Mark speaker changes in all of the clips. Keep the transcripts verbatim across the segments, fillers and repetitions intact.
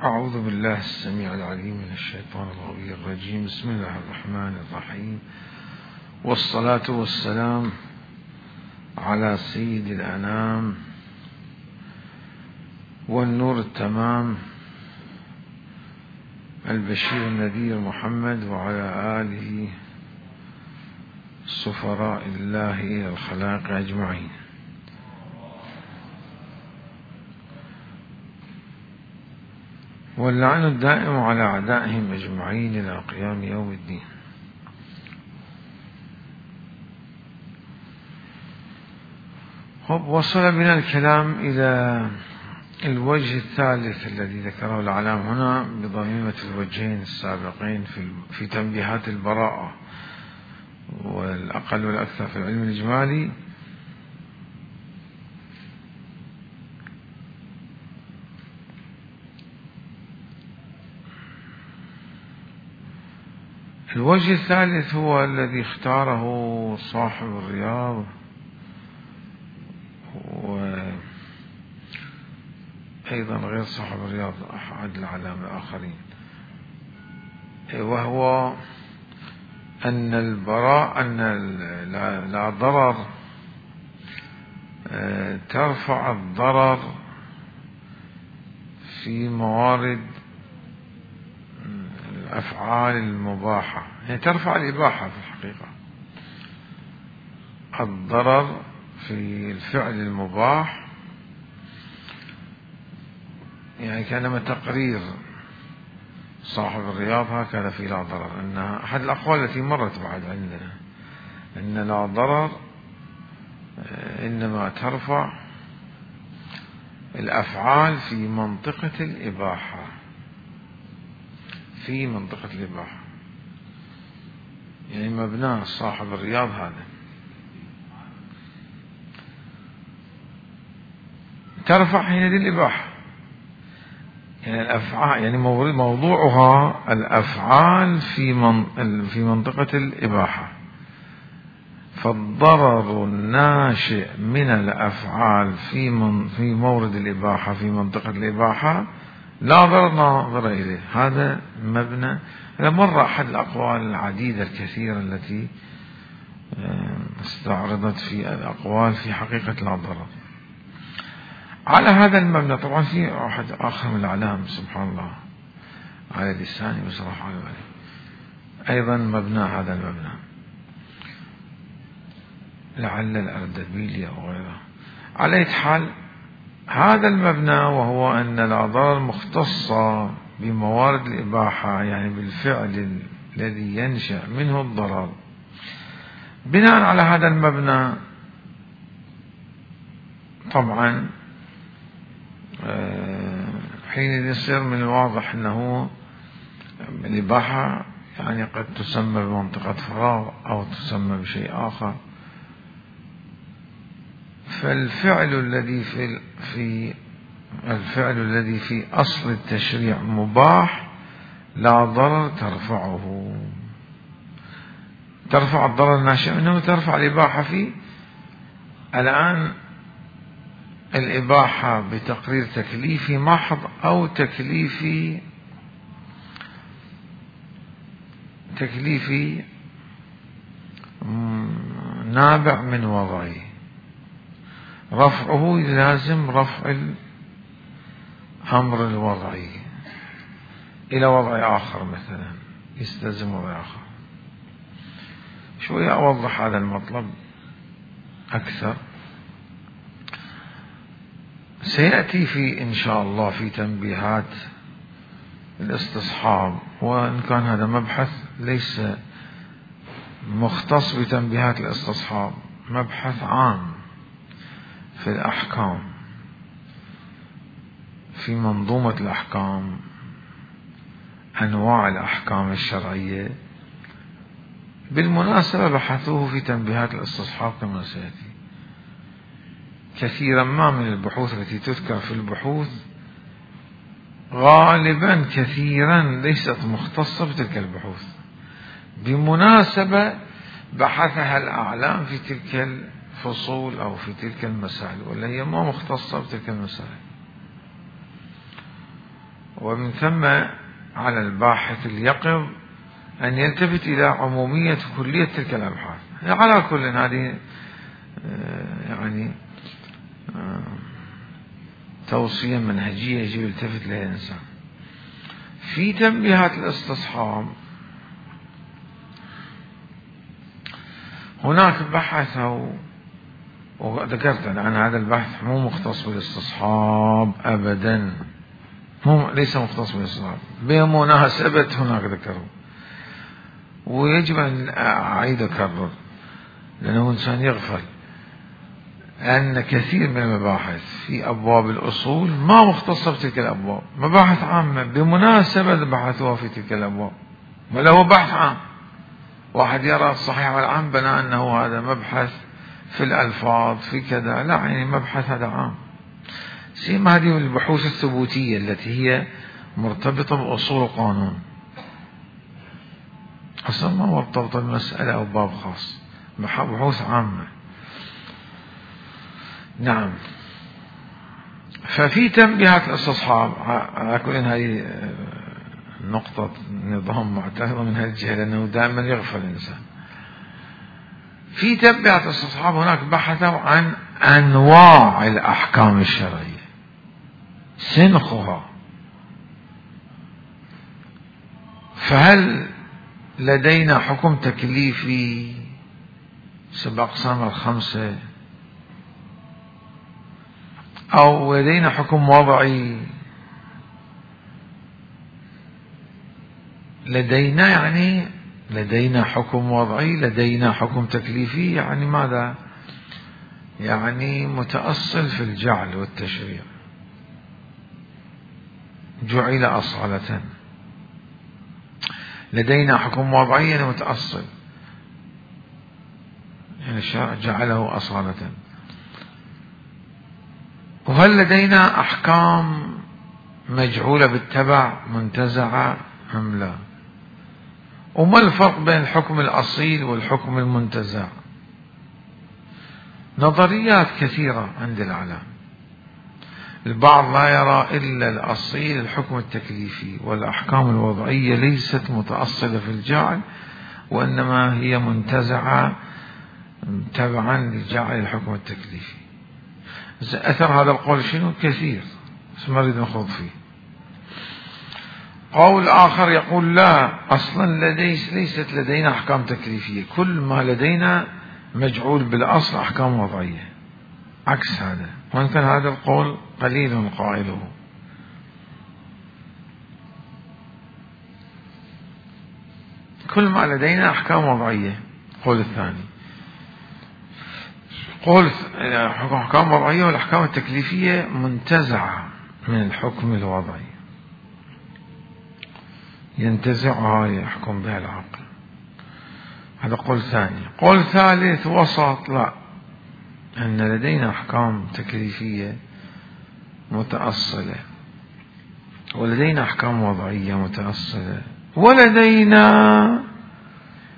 Speaker 1: أعوذ بالله السميع العليم من الشيطان الغوي الرجيم. بسم الله الرحمن الرحيم، والصلاة والسلام على سيد الأنام والنور التمام البشير النذير محمد وعلى آله سفراء الله إلى الخلائق أجمعين. واللعن الدائم على أعدائهم أجمعين إلى قيام يوم الدين. وصل بنا الكلام إلى الوجه الثالث الذي ذكره العلام هنا بضميمة الوجهين السابقين في في تنبيهات البراءة والأقل والأكثر في العلم الإجمالي. الوجه الثالث هو الذي اختاره صاحب الرياض وأيضا غير صاحب الرياض أحد العلام الآخرين، وهو أن البراء أن لا ضرر ترفع الضرر في موارد الأفعال المباحة، يعني ترفع الإباحة في الحقيقة. الضرر في الفعل المباح يعني كانما تقرير صاحب الرياض هكذا في لا ضرر، أن أحد الأقوال التي مرت بعد عندنا أن لا ضرر إنما ترفع الأفعال في منطقة الإباحة، في منطقة الإباحة، يعني مبنى صاحب الرياض هذا ترفع حينئذ الإباحة، يعني الأفعال يعني موضوعها الأفعال في من في منطقة الإباحة. فالضرر الناشئ من الأفعال في من في مورد الإباحة في منطقة الإباحة لا ضرر ناظر إليه. هذا مبنى مر أحد الأقوال العديدة الكثيرة التي استعرضت في الأقوال في حقيقة لا ضرر. على هذا المبنى طبعا في واحد آخر من الأعلام سبحان الله على لساني بصراحة أيضا مبنى هذا المبنى لعل الأردبيلي أو غيره. على أي حال هذا المبنى وهو أن الأضرار مختصة بموارد الإباحة، يعني بالفعل الذي ينشأ منه الضرر. بناء على هذا المبنى طبعا حين يصير من الواضح أنه الإباحة يعني قد تسمى بمنطقة فراغ أو تسمى بشيء آخر، فالفعل الذي في في الفعل الذي في أصل التشريع مباح لا ضرر ترفعه، ترفع الضرر الناشئ منه وترفع الإباحة فيه. الآن الإباحة بتقرير تكليفي محض أو تكليفي تكليفي نابع من وضعي، رفعه لازم رفع الأمر الوضعي إلى وضع آخر، مثلا يستلزم وضع آخر. شوية أوضح هذا المطلب أكثر، سيأتي في إن شاء الله في تنبيهات الاستصحاب، وإن كان هذا مبحث ليس مختص بتنبيهات الاستصحاب، مبحث عام في الأحكام في منظومة الأحكام، أنواع الأحكام الشرعية. بالمناسبة بحثوه في تنبيهات الاستصحاب كما سيأتي. كثيرا ما من البحوث التي تذكر في البحوث غالبا كثيرا ليست مختصة بتلك البحوث، بمناسبة بحثها الأعلام في تلك الفصول أو في تلك المسائل، ولا هي ما مختصة بتلك المسائل. ومن ثم على الباحث اليقظ أن يلتفت إلى عمومية كلية تلك الأبحاث. على كل هذه يعني توصية منهجية يجب يلتفت لها الإنسان. في تنبيهات الاستصحاب هناك بحثوا، وذكرت أن هذا البحث مو مختص بالاستصحاب أبدا، مو ليس مختص بالاستصحاب، بمناسبة هناك ذكروا، ويجب أن أعيد أكرر لأنه إنسان يغفل أن كثير من المباحث في أبواب الأصول ما مختصة بتلك الأبواب، مباحث عامة بمناسبة بحثوها في تلك الأبواب، ولا هو بحث عام. واحد يرى الصحيح والعام بناء أنه هذا مبحث في الألفاظ في كذا، لا، يعني مبحث هذا عام. سيما هذه البحوث الثبوتية التي هي مرتبطة بأصول القانون، أصلا ما مرتبطة بمسألة أو باب خاص، بحوث عامة. نعم. ففي تنبيهات الاستصحاب على كل هذه نقطة نظام معترضة من هذه الجهة لأنه دائما يغفل الإنسان. في تنبيهات الاستصحاب هناك بحثوا عن أنواع الأحكام الشرعية، سنخها، فهل لدينا حكم تكليفي سبع أقسام الخمسة، أو لدينا حكم وضعي، لدينا يعني لدينا حكم وضعي، لدينا حكم تكليفي، يعني ماذا؟ يعني متأصل في الجعل والتشريع، جعل أصالة. لدينا حكم وضعي يعني متأصل، يعني الشرع جعله أصالة. وهل لدينا أحكام مجعولة بالتبع منتزعة أم لا؟ وما الفرق بين الحكم الأصيل والحكم المنتزع؟ نظريات كثيرة عند العلماء. البعض لا يرى إلا الأصيل الحكم التكليفي، والأحكام الوضعية ليست متأصلة في الجعل، وإنما هي منتزعة تبعا لجعل الحكم التكليفي. أثر هذا القول شنو؟ كثير، بس ما نريد نخوض فيه. قول آخر يقول لا، أصلا لديس ليست لدينا أحكام تكليفية، كل ما لدينا مجعول بالأصل أحكام وضعية، عكس هذا. وإن كان هذا القول قليل قائله. كل ما لدينا أحكام وضعية، قول الثاني. قول أحكام وضعية والأحكام التكليفية منتزعة من الحكم الوضعي، ينتزعها يحكم بها العقل. هذا قول ثاني. قول ثالث وسط، لا، أن لدينا أحكام تكليفية متأصلة، ولدينا أحكام وضعية متأصلة، ولدينا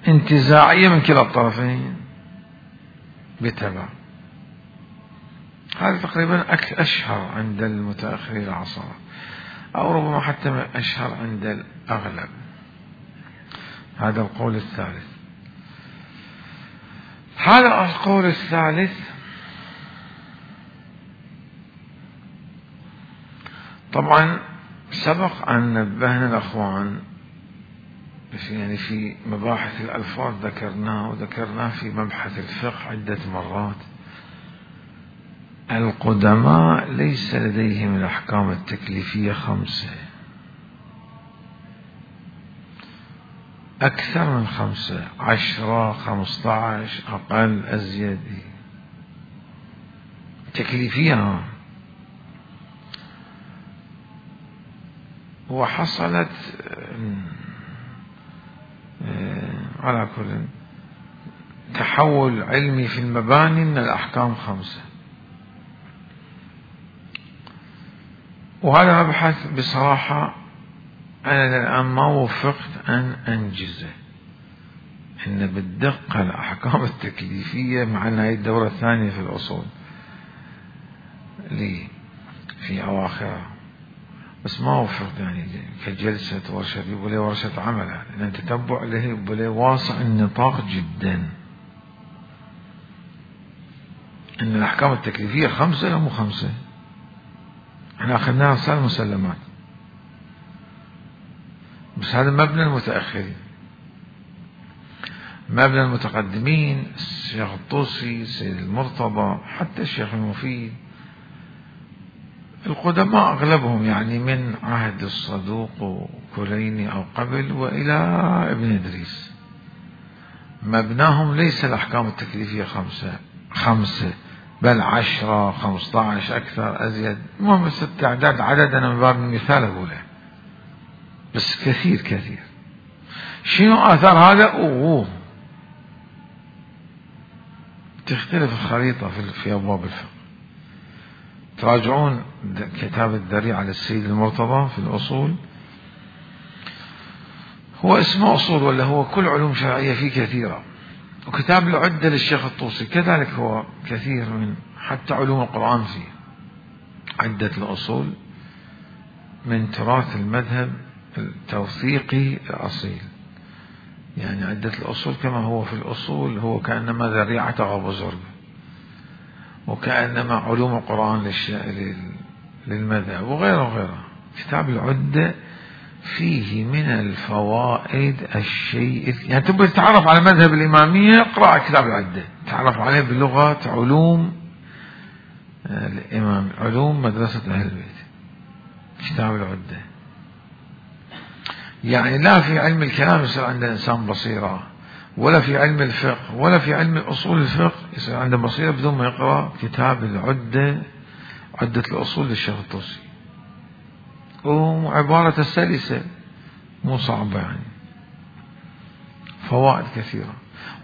Speaker 1: انتزاعية من كلا الطرفين بتبع. هذا تقريبا أشهر عند المتأخرين العصر، أو ربما حتى أشهر عند الأغلب. هذا القول الثالث. هذا القول الثالث طبعا سبق أن نبهنا الأخوان يعني في مباحث الألفاظ، ذكرناه وذكرناه في مبحث الفقه عدة مرات. القدماء ليس لديهم الأحكام التكليفية خمسة، أكثر من خمسة، عشرة، خمسة عشر، أقل، أزيد، تكليفية. وحصلت على كل تحول علمي في المباني من الأحكام خمسة. وهذا مبحث بصراحة أنا الآن ما وفقت أن أنجزه، إن بالدقة الأحكام التكليفية مع أن هذه الدورة الثانية في الأصول لي في أواخرها، بس ما وفق يعني كجلسة ورشة، يبقى له ورشة عمل، لأن تتبع له يبقى له واسع النطاق جدا. إن الأحكام التكليفية خمسة أو مو خمسة؟ احنا أخذناها صار مسلمات، بس هذا مبنى المتأخرين. مبنى المتقدمين الشيخ الطوسي، السيد المرتضى، حتى الشيخ المفيد، القدماء أغلبهم يعني من عهد الصدوق وكليني أو قبل وإلى ابن إدريس، مبناهم ليس الأحكام التكليفية خمسة خمسة بل عشرة خمسة عشر أكثر أزيد. المهم بس التعداد عدد أنا من باب المثال أقوله، بس كثير كثير. شنو آثار هذا؟ أوه تختلف الخريطة في أبواب الفقه. تراجعون كتاب الذريعة للسيد المرتضى في الأصول، هو اسمه أصول ولا هو كل علوم شرعية فيه كثيرة. وكتاب العدة للشيخ الطوسي كذلك هو كثير، من حتى علوم القرآن فيه. عدة الأصول من تراث المذهب التوثيقي الأصيل، يعني عدة الأصول كما هو في الأصول هو كأنما ذريعة أبو زرق، وكأنما علوم القرآن للمذهب وغيره وغيره. كتاب العدة فيه من الفوائد الشيء، يعني تبغى تتعرف على مذهب الإمامية اقرأ كتاب العدة، تعرف عليه بلغة علوم الإمام، علوم مدرسة أهل البيت. كتاب العدة يعني لا في علم الكلام يصير عند إنسان بصيرة، ولا في علم الفقه، ولا في علم الأصول الفقه يصير عنده بصيرة بدون ما يقرأ كتاب العدة، عدة الأصول للشيخ الطوسي. وعبارة سلسة مو صعبة، يعني فوائد كثيرة.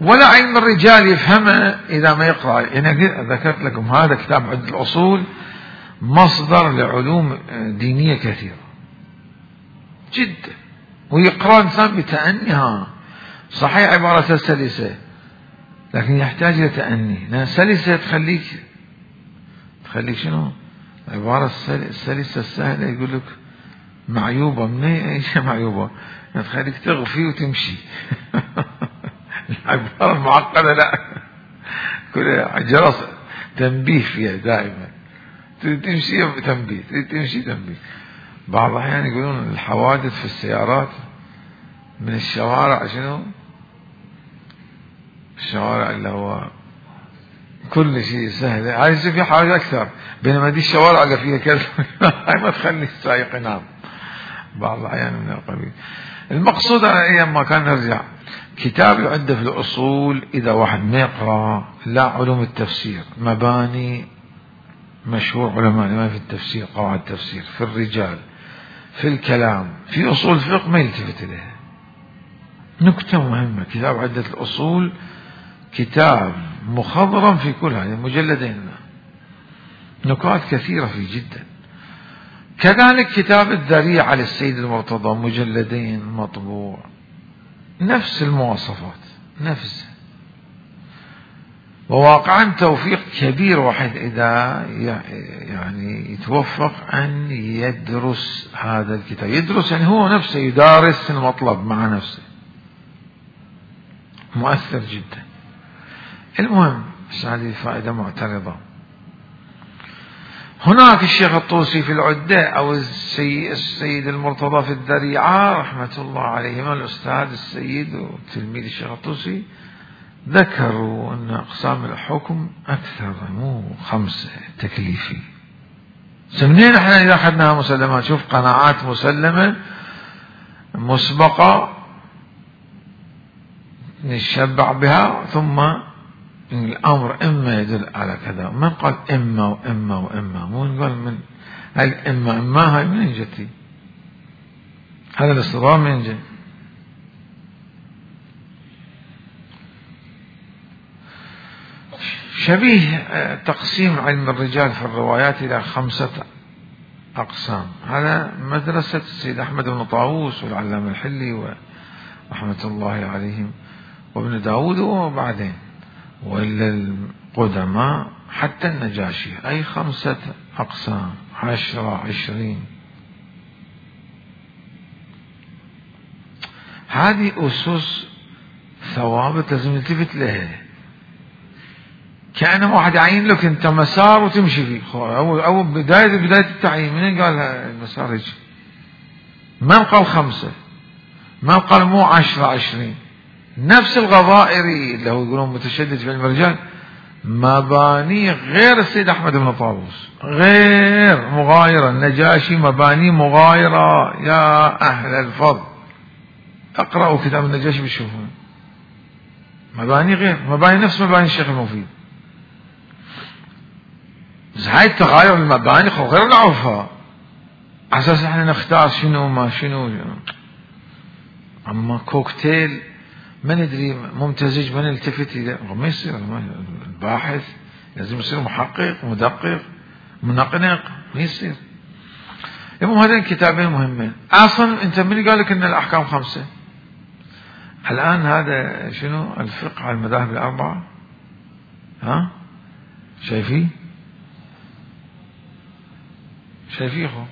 Speaker 1: ولا علم الرجال يفهمه إذا ما يقرأ. يعني ذكرت لكم هذا كتاب عدة الأصول مصدر لعلوم دينية كثيرة جدا، ويقرأ إنسان بتأنيها. صحيح عبارة سلسة لكن يحتاج إلى تأني، لأن سلسة تخليك تخليك شنو؟ عبارة السلسة السهلة يقول لك معيوبة، من أي شيء معيوبة؟ يعني تخليك تغفي وتمشي. العبارة المعقدة لا، كل جرس تنبيه فيها دائما، تريد تمشي تنبيه، تريد تمشي تنبيه. بعض الأحيان يقولون الحوادث في السيارات من الشوارع شنو؟ الشوارع اللي هو كل شيء سهل، هاي في حاجة أكثر، بينما دي الشوارع اللي فيها كذا هاي ما تخلي السائق ينام. بعض الأحيان من القبيل. المقصود على أيام ما كان نرجع كتاب العدة في الأصول، إذا واحد ما يقرأ لا علوم التفسير، مباني مشهور علماء ما في التفسير، قواعد التفسير في الرجال، في الكلام، في أصول الفقه ما يلتفت إليها. نكتة مهمة، كتاب عدة الأصول كتاب مخضرم في كل هذه مجلدين، نكات كثيرة فيه جدا. كذلك كتاب الذريعة للسيد المرتضى مجلدين مطبوع، نفس المواصفات نفسها. وواقعا توفيق كبير واحد إذا يعني يتوفق أن يدرس هذا الكتاب، يدرس يعني هو نفسه يدارس المطلب مع نفسه، مؤثر جدا. المهم بس هذه فائدة معترضة. هناك الشيخ الطوسي في العدة أو السيد المرتضى في الذريعة رحمة الله عليهما، الأستاذ السيد وتلميذ الشيخ الطوسي، ذكروا أن أقسام الحكم أكثر، مو خمسة تكليفي. سمنين احنا إذا أخذناها مسلمات، شوف قناعات مسلمة مسبقة نشبع بها، ثم الأمر إما يدل على كذا. من قال إما وإما وإما؟ مو نقول من هل إما إما هاي من جتي؟ هذا الاصطدام من جاي؟ شبيه تقسيم علم الرجال في الروايات إلى خمسة أقسام. هذا مدرسة السيد أحمد بن طاووس والعلامة الحلي ورحمة الله عليهم وابن داود وبعدين وإلا القدماء حتى النجاشي، أي خمسة أقسام، عشرة عشرين هذه أسس ثوابت لازم نلتفت لها، كأنه واحد يعين لك أنت مسار وتمشي فيه. أو أو بداية بداية التعيين من قال المسار هيك؟ من قال خمسة؟ من قال مو عشرة عشرين؟ نفس الغضائري اللي هو يقولون متشدد في علم الرجال، مباني غير السيد أحمد بن طاووس، غير مغايرة. النجاشي مباني مغايرة يا أهل الفضل، اقرأوا كتاب النجاشي بتشوفون مباني غير، مباني نفس مباني الشيخ المفيد. بس هاي التغاير المباني غير نعرفها على اساس احنا نختار شنو ما شنو. اما كوكتيل ما ندري ممتزج ما نلتفت الى، ما يصير. الباحث لازم يصير محقق مدقق منقنق، ما يصير. المهم هذين الكتابين مهمين. اصلا انت من قال لك ان الاحكام خمسه؟ الان هذا شنو الفقه على المذاهب الاربعه؟ ها شايفين؟ شايفينه؟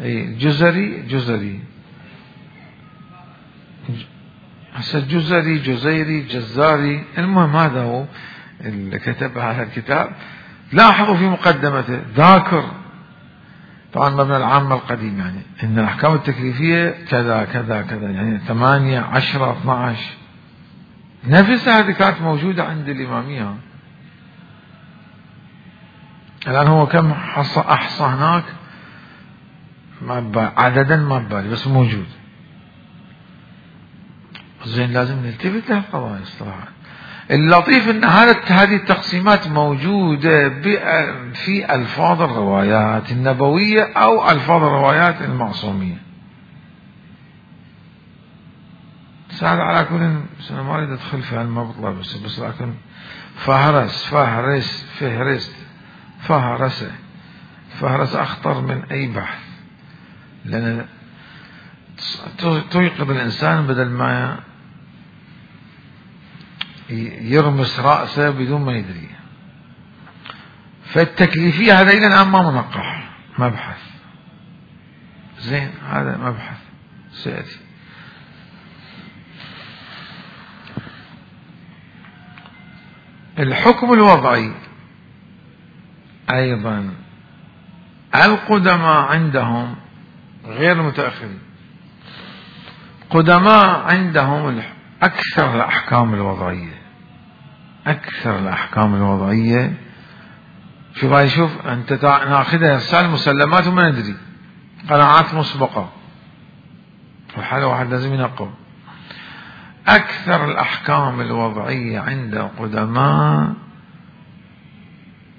Speaker 1: اي جزري جزري هسه جزري جزيري جزاري. المهم هذا هو اللي كتب هذا الكتاب. لاحظوا في مقدمته ذاكر طبعا مبنى العامة القديم، يعني ان الاحكام التكليفية كذا كذا كذا، يعني ثمانية عشرة اثنى عشر نفسها هذه كانت موجودة عند الامامية. الان هو كم حصى احصى هناك ما عددا ما ببالي، بس موجود. زين لازم نلتفت لهالقضايا الصراحة. اللطيف ان هذه التقسيمات موجودة في الفاظ الروايات النبوية او الفاظ الروايات المعصومية. سهل على كل، انا ما اريد ادخل في هالمبطلة، بس بس لكن فهرس فهرس فهرست فهرسه فهرس اخطر من اي بحث، لان توقظ الانسان بدل ما يرمس رأسه بدون ما يدري. فالتكليفية هذا إلى الآن ما منقح، مبحث زين، هذا مبحث سيأتي. الحكم الوضعي أيضا القدماء عندهم غير المتأخرين. قدماء عندهم أكثر الأحكام الوضعية، أكثر الأحكام الوضعية. شوف هاي، شوف أنت ناخذها رسالة مسلمات وما ندري، قناعات مسبقة، وحال واحد لازم ينقب. أكثر الأحكام الوضعية عند القدماء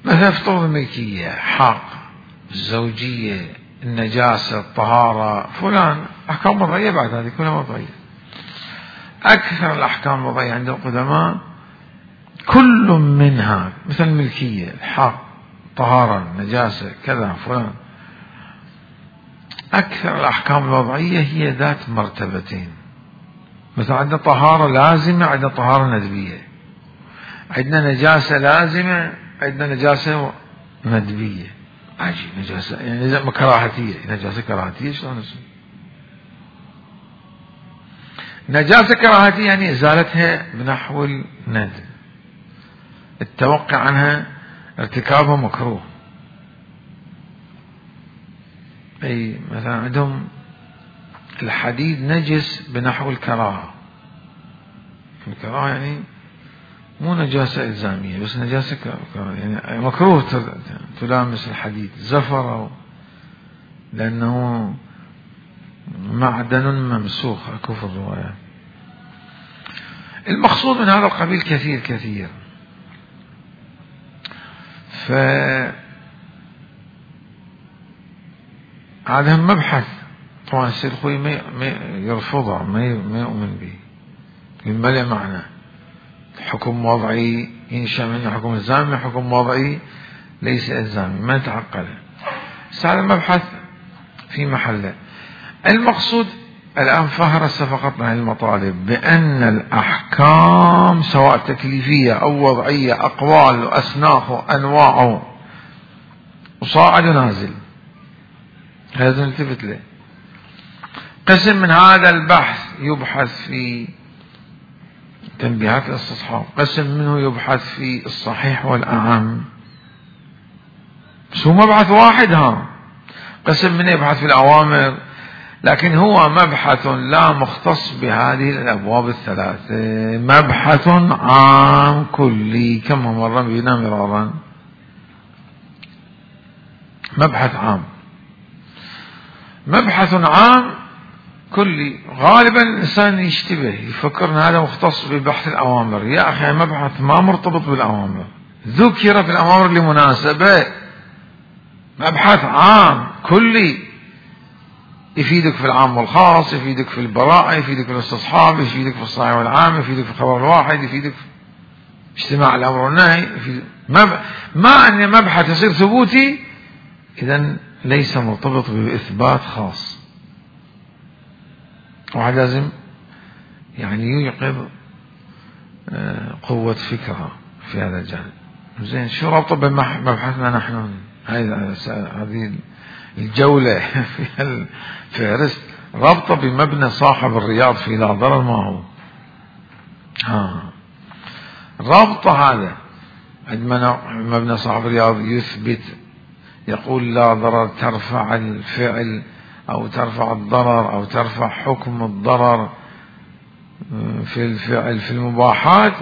Speaker 1: مثلا فطور الملكية، حق، الزوجية، النجاسة، الطهارة، فلان أحكام وضعية. بعد هذه كلها وضعية. أكثر الأحكام الوضعية عند القدماء كل منها مثل الملكية، الحق، طهارة، نجاسة، كذا فلان. أكثر الأحكام الوضعية هي ذات مرتبتين. مثلا عندنا طهارة لازمة، عندنا طهارة ندبية. عندنا نجاسة لازمة، عندنا نجاسة ندبية. عجيب، نجاسة يعني كراهتية، نجاسة كراهتية شلون اسمه؟ نجاسة كراهتية يعني إزالتها بنحو الندب، التوقع عنها ارتكابها مكروه. أي مثلا عندهم الحديد نجس بنحو الكراهة. الكراهة يعني مو نجاسة إلزامية، بس نجاسة كراهة، يعني مكروه تلامس الحديد، زفر لأنه معدن ممسوخ، أكو في الروايات. المقصود من هذا القبيل كثير كثير. ف هذا مبحث طبعا السيد الخوي ما يرفضه، ما يؤمن به، ما له معنى. حكم وضعي ينشأ منه حكم إلزامي، حكم وضعي ليس إلزامي، ما نتعقله. بس هذا مبحث في محله. المقصود الآن فهرس فقط عن المطالب بأن الأحكام سواء تكليفية أو وضعية، أقوال وأصناف وأنواع وصاعد ونازل، هذا نلتفت له. قسم من هذا البحث يبحث في تنبيهات الاستصحاب، قسم منه يبحث في الصحيح والأعم. بس هو مبحث واحد، ها قسم منه يبحث في الأوامر، لكن هو مبحث لا مختص بهذه الأبواب الثلاثة، مبحث عام كلي كما مر بنا مرارا، مبحث عام، مبحث عام كلي. غالبا الإنسان يشتبه يفكر أن هذا مختص ببحث الأوامر. يا أخي مبحث ما مرتبط بالأوامر، ذكر في الأوامر لمناسبة، مبحث عام كلي يفيدك في العام والخاص، يفيدك في البراءة، يفيدك في الاستصحاب، يفيدك في الصحيح والعام، يفيدك في الخبر الواحد، يفيدك في اجتماع الأمر والنهي. ما أن مبحث يصير ثبوتي إذن ليس مرتبط بإثبات خاص. واحد لازم يعني يوقظ قوة فكرة في هذا الجانب. زين، شو رابطه بمبحثنا نحن؟ هذه الجولة في الفهرست رابطه بمبنى صاحب الرياض في لا ضرر ما هو. ها رابطه هذا عندما مبنى صاحب الرياض يثبت، يقول لا ضرر ترفع الفعل أو ترفع الضرر أو ترفع حكم الضرر في الفعل في المباحات.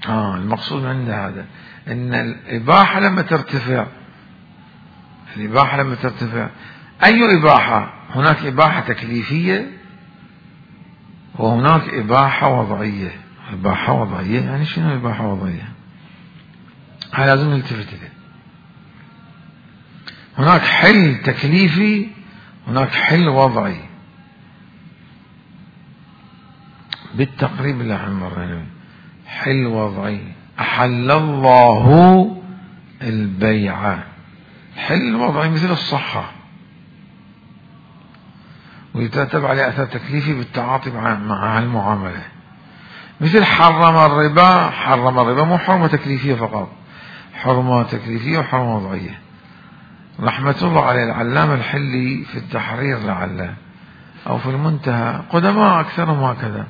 Speaker 1: آه المقصود عند هذا أن الإباحة لما ترتفع، الإباحة لما ترتفع أي إباحة؟ هناك إباحة تكليفية وهناك إباحة وضعية. إباحة وضعية يعني شنو إباحة وضعية؟ هذا لازم نلتفت إليه. هناك حل تكليفي، هناك حل وضعي. بالتقريب اللي احنا مرينا حل وضعي، أحل الله البيع، حل الوضعي مثل الصحة ويترتب عليه أثر تكليفي بالتعاطي مع المعاملة، مثل حرم الربا. حرم الربا مو حرمة تكليفية فقط، حرمة تكليفية وحرمة وضعية. رحمة الله عليه العلامة الحلي في التحرير لعله أو في المنتهى، قدماء أكثرهم هكذا،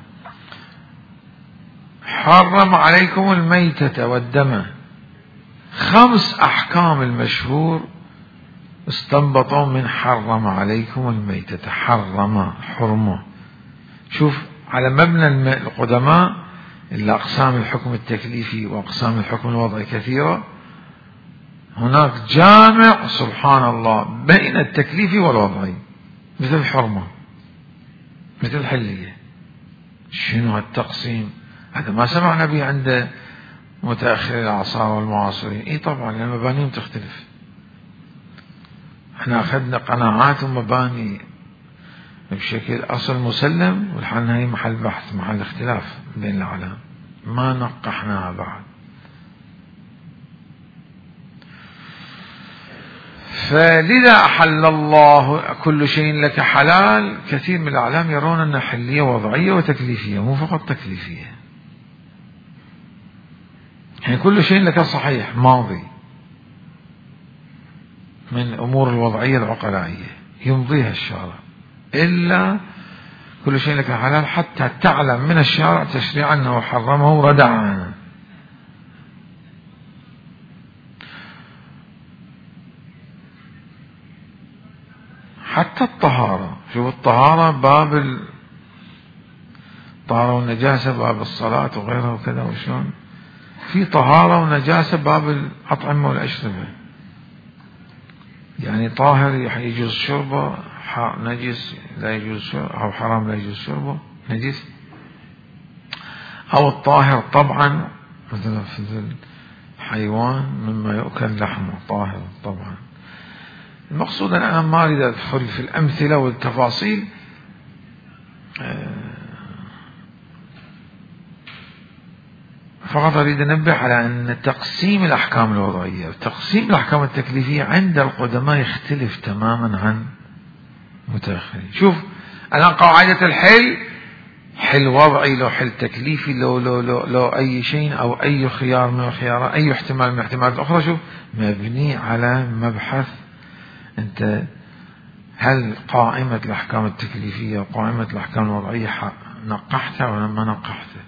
Speaker 1: حرم عليكم الميتة والدم، خمس أحكام المشهور استنبطوا من حرم عليكم الميتة. حرم حرمة. شوف على مبنى القدماء إلا أقسام الحكم التكليفي وأقسام الحكم الوضعي كثيرة، هناك جامع سبحان الله بين التكليفي والوضعي، مثل الحرمة مثل الحلية. شنو هالتقسيم؟ هذا ما سمعنا به عند متأخر الأعصار والمعاصرين. اي طبعا لأن مبانيهم تختلف. احنا أخذنا قناعات ومباني بشكل أصل مسلم، والحال هي محل بحث، محل اختلاف بين العالم، ما نقحناها بعد. فلذا أحل الله كل شيء لك حلال. كثير من الأعلام يرون أن حلية وضعية وتكليفية، مو فقط تكليفية. يعني كل شيء لك صحيح ماضي من الأمور الوضعية العقلائية يمضيها الشارع، إلا كل شيء لك حلال حتى تعلم من الشارع تشريعا أنه حرمه ردعا. حتى الطهارة، شوف الطهارة باب الطهارة والنجاسة باب الصلاة وغيرها وكذا، وشون في طهارة ونجاسة باب الأطعمة والأشربة. يعني طاهر يجوز شربه، نجس لا يجوز شربه، أو حرام لا يجوز شربه، نجس. أو الطاهر طبعا مثلا في الحيوان مما يؤكل لحمه طاهر طبعا. المقصود أن أنا ما أريد أدخل في الأمثلة والتفاصيل، فقط أريد أنبه على أن تقسيم الأحكام الوضعية وتقسيم الأحكام التكليفية عند القدماء يختلف تماما عن متأخرين. شوف الآن قاعدة الحل، حل وضعي لو حل تكليفي لو لو لو, لو أي شيء أو أي خيار من الخيارات، أي احتمال من الاحتمالات الأخرى، شوف مبني على مبحث أنت هل قائمة الأحكام التكليفية وقائمة الأحكام الوضعية نقحتها ولا ما نقحتها؟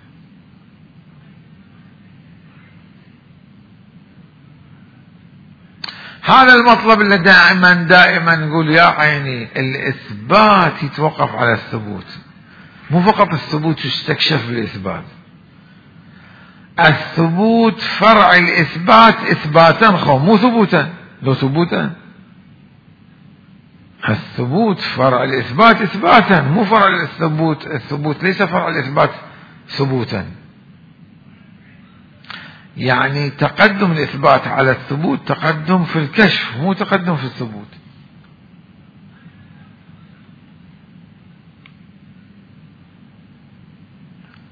Speaker 1: هذا المطلب اللي دائما دائما نقول يا عيني الإثبات يتوقف على الثبوت، مو فقط الثبوت يستكشف بالإثبات. الثبوت فرع الإثبات إثباتا خو مو ثبوتا، لو ثبوتا. الثبوت فرع الإثبات إثباتا مو فرع الثبوت، الثبوت ليس فرع الإثبات ثبوتا. يعني تقدم الإثبات على الثبوت تقدم في الكشف مو تقدم في الثبوت.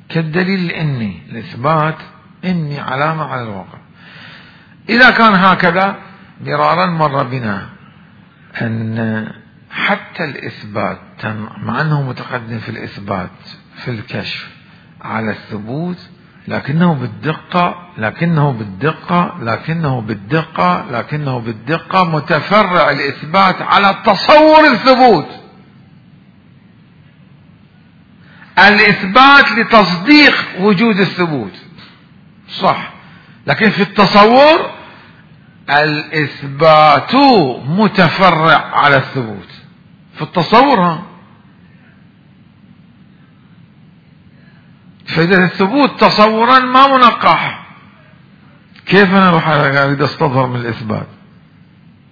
Speaker 1: كالدليل الإني، الإثبات إني علامة على الواقع. إذا كان هكذا مرارا مر بنا أن حتى الإثبات مع أنه متقدم في الإثبات في الكشف على الثبوت لكنه بالدقة لكنه بالدقة لكنه بالدقة لكنه بالدقة متفرع الإثبات على تصور الثبوت. الإثبات لتصديق وجود الثبوت صح، لكن في التصور الإثبات متفرع على الثبوت في التصور. ها فإذا الثبوت تصورا ما منقح، كيف أنا أروح أريد أستظهر من الإثبات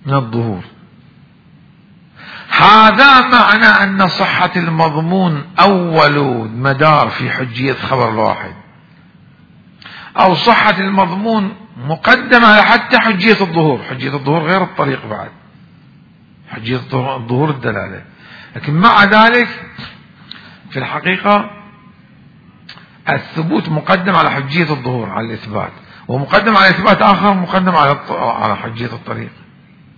Speaker 1: من الظهور؟ هذا معنى أن صحة المضمون أول مدار في حجية خبر الواحد، أو صحة المضمون مقدمة حتى حجية الظهور. حجية الظهور غير الطريق بعد، حجية الظهور الدلالة، لكن مع ذلك في الحقيقة الثبوت مقدم على حجية الظهور على الإثبات، ومقدم على إثبات آخر مقدم على على حجية الطريق.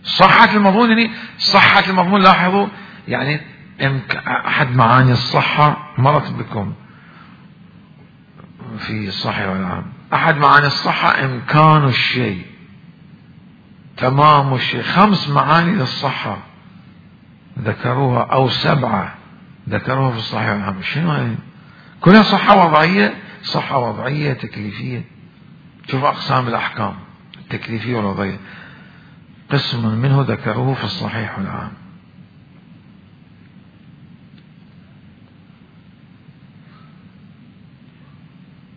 Speaker 1: صحة المضمون يعني صحة المضمون، لاحظوا يعني أحد معاني الصحة مرت بكم في الصحيح والعام، أحد معاني الصحة إمكان الشيء، تمام الشيء. خمس معاني للصحة ذكروها أو سبعة ذكروها في الصحيح والعام. شنو هاي؟ كلها صحة وضعية، صحة وضعية تكليفية. شوف أقسام الأحكام التكليفية والوضعية، قسم منه ذكروه في الصحيح والعام.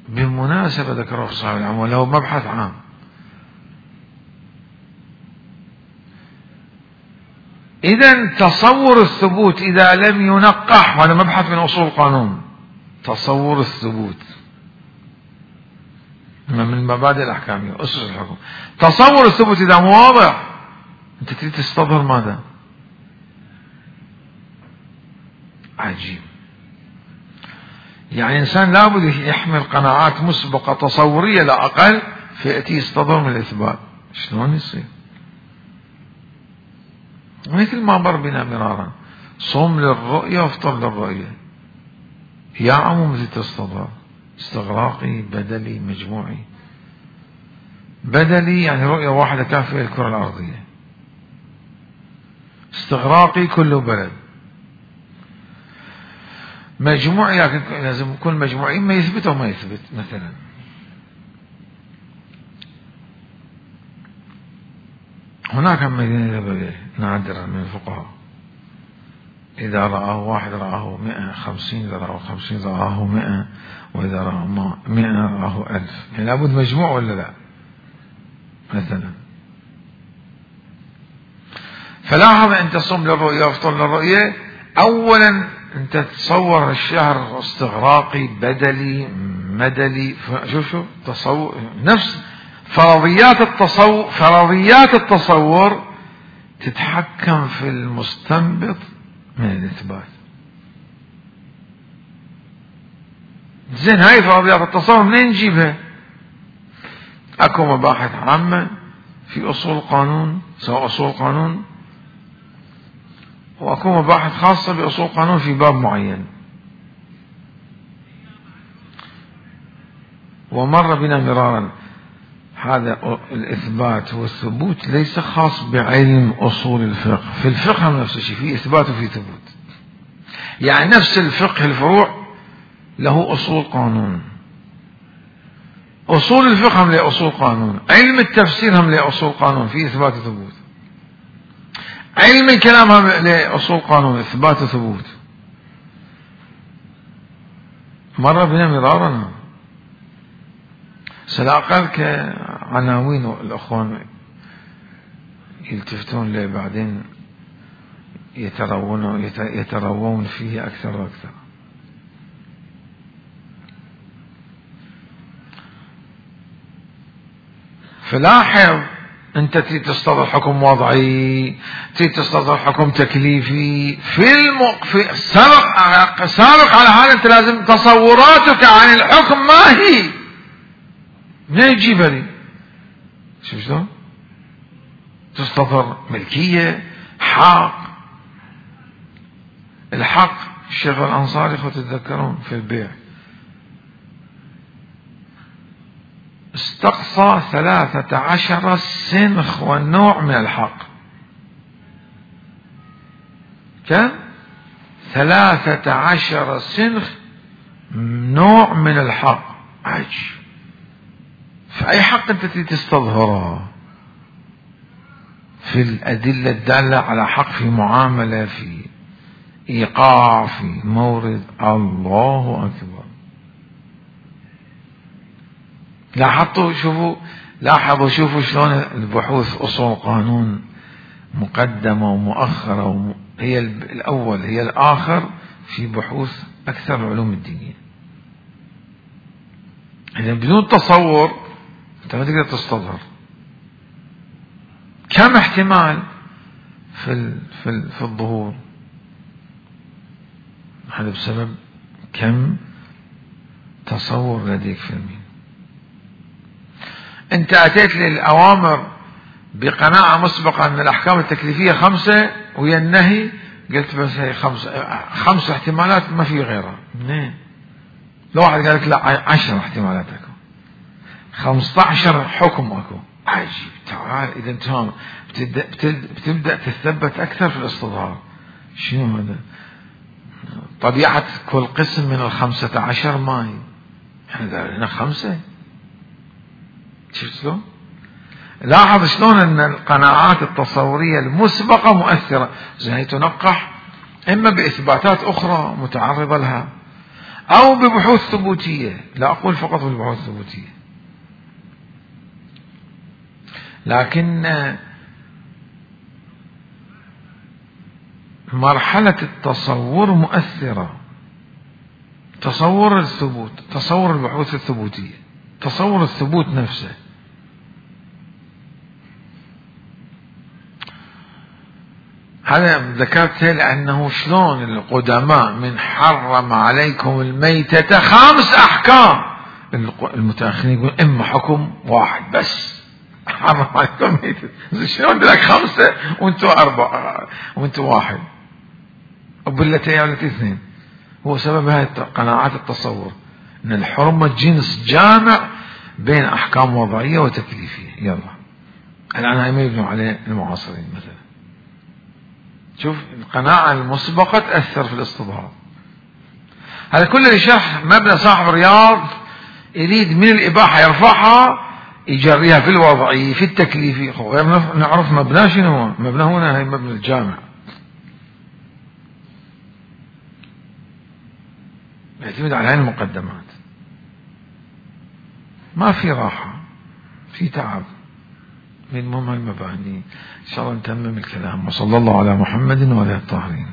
Speaker 1: بالمناسبة ذكروه في الصحيح والعام وله مبحث عام. إذا تصور الثبوت إذا لم ينقح، هذا مبحث من أصول القانون، تصور الثبوت من المبادئ الأحكامية أسس الحكم. تصور الثبوت إذا مو واضح أنت تريد تستظهر ماذا؟ عجيب. يعني إنسان لابد يحمل قناعات مسبقة تصورية لا أقل فيأتي يستظهر من الإثبات. شلون يصير؟ مثل ما مر بنا مرارا، صوم للرؤية وافطر للرؤية، يا عمو مثل تستظهر استغراقي بدلي مجموعي. بدلي يعني رؤية واحدة كافية للكرة الأرضية، استغراقي كله بلد، مجموعي لكن لازم كل مجموعي ما يثبت أو ما يثبت. مثلا هناك مدينة نادرة من الفقهاء إذا رآه واحد رآه مئة، خمسين إذا رآه خمسين رآه مئة، وإذا رآه مئة رآه ألف. يعني لابد مجموع ولا لا؟ مثلا فلاحظ أنت صم للرؤية وافطر للرؤية، أولا أنت تتصور الشهر استغراقي بدلي مدلي. شوف شوف تصور نفس فرضيات التصور، فرضيات التصور تتحكم في المستنبط من الإثبات. زين هاي فرضيات التصور منين نجيبها؟ أكو مباحث عامة في أصول القانون، سواء أصول القانون، وأكو مباحث خاصة بأصول القانون في باب معين. ومر بنا مرارا هذا الإثبات والثبوت ليس خاص بعلم أصول الفقه. في الفقه نفس الشيء، في إثبات وفي ثبوت. يعني نفس الفقه الفروع له أصول قانون، أصول الفقه هم له أصول قانون، علم التفسير هم له أصول قانون في إثبات وثبوت، علم الكلام هم له أصول قانون إثبات وثبوت. مرة بنا مرارنا سلاقل كعناوين الأخوان يلتفتون له بعدين يتروون يتروون فيه أكثر وأكثر. فلاحظ أنت تريد تصدر حكم وضعي، تريد تصدر حكم تكليفي في المق... في سابق سابق على هذا أنت لازم تصوراتك عن الحكم ما هي، ما يجيبها لي شو شلون تصدر ملكية حق. الحق الشيخ الأنصاري خذ تتذكرون في البيع استقصى ثلاثة عشر سنخ والنوع من الحق. كم؟ ثلاثة عشر سنخ نوع من الحق. عجب. فأي حق أنت تستظهره في الأدلة الدالة على حق في معاملة في إيقاع في مورد. الله أكبر. لاحظوا شوفوا لاحظوا شوفوا شلون البحوث أصول قانون مقدمة ومؤخرة وم... هي الأول هي الآخر في بحوث أكثر العلوم الدينية. إذا بدون تصور أنت ما تقدر تستظهر. كم احتمال في ال... في ال... في الظهور؟ هذا بسبب كم تصور لديك في المين. أنت أتيت للأوامر بقناعة مسبقة أن الأحكام التكليفية خمسة ويا النهي قلت بس هي خمسة خمس احتمالات ما في غيرها. منين؟ لو واحد قال لك لا عشر احتمالات أكو، خمسة عشر حكم أكو. عجيب. تعال إذا أنت بتبدأ, بتبدأ تثبت أكثر في الاستظهار. شنو هذا؟ طبيعة كل قسم من الخمسة عشر ماي. احنا هنا خمسة. شفت شلون؟ لاحظ شلون ان القناعات التصورية المسبقة مؤثرة. زي تنقح اما باثباتات اخرى متعرضة لها او ببحوث ثبوتية. لا اقول فقط بالبحوث الثبوتية، لكن مرحلة التصور مؤثرة. تصور الثبوت، تصور البحوث الثبوتية، تصور الثبوت نفسه. هذا ذكرته لأنه شلون القدماء من حرم عليكم الميتة خمس أحكام، المتأخرين يقول إما حكم واحد بس حرم عليكم الميتة. شلون لك خمسة وانتوا أربعة وانتوا واحد وبالتي والتي اثنين؟ هو سبب هذه قناعات التصور ان الحرمة جنس جامع بين احكام وضعية وتكليفية. يلا الان هاي ما يبنوا عليه المعاصرين مثلا. شوف القناعة المسبقة تأثر في الاستظهار. هذا كله لشرح مبنى صاحب الرياض يريد من الاباحة يرفعها يجريها في الوضعي في التكليفي. غير نعرف مبنى شنو هو. مبنى هنا هي مبنى الجامع يعتمد على هذه المقدمات. ما في راحة، في تعب من المهم المباني. إن شاء الله نتمم الكلام. وصلى الله على محمد وعلى الطاهرين.